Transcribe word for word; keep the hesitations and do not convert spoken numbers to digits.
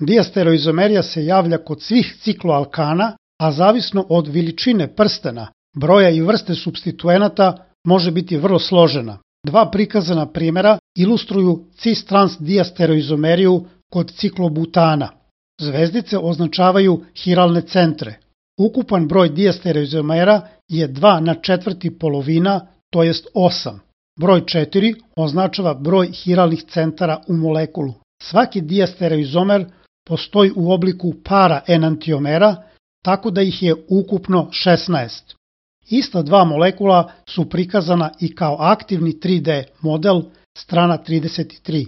Diastereoizomerija se javlja kod svih cikloalkana, a zavisno od veličine prstena, broja i vrste supstituenata može biti vrlo složena. Dva prikazana primjera ilustruju cis-trans diastereoizomeriju kod ciklobutana. Zvezdice označavaju hiralne centre. Ukupan broj diastereoizomera je dva na četvrti polovina, to jest osam. Broj četiri označava broj hiralnih centara u molekulu. Svaki diastereoizomer postoji u obliku para enantiomera, tako da ih je ukupno šesnaest. Ista dva molekula su prikazana i kao aktivni tri D model, strana trideset tri.